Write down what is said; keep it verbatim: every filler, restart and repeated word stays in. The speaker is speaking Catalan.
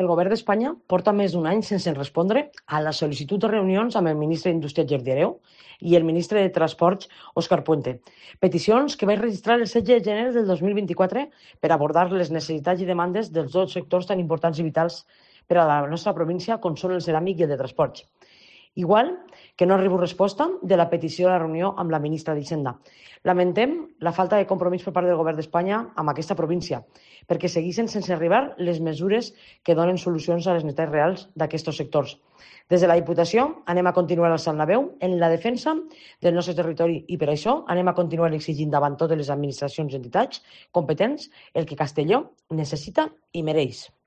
El govern d'Espanya porta més d'un any sense respondre a la sol·licitud de reunions amb el ministre d'Indústria, Jordi Hereu, i el ministre de Transports, Òscar Puente. Peticions que vaig registrar el setze de gener del dos mil vint-i-quatre per abordar les necessitats i demandes dels dos sectors tan importants i vitals per a la nostra província com són el ceràmic i el de transports. Igual que no arribo resposta de la petició de la reunió amb la ministra d'Hisenda. Lamentem la falta de compromís per part del govern d'Espanya amb aquesta província, perquè segueixen sense arribar les mesures que donen solucions a les necessitats reals d'aquests sectors. Des de la Diputació anem a continuar alçant la veu en la defensa del nostre territori i per això anem a continuar exigint davant totes les administracions i entitats competents el que Castelló necessita i mereix.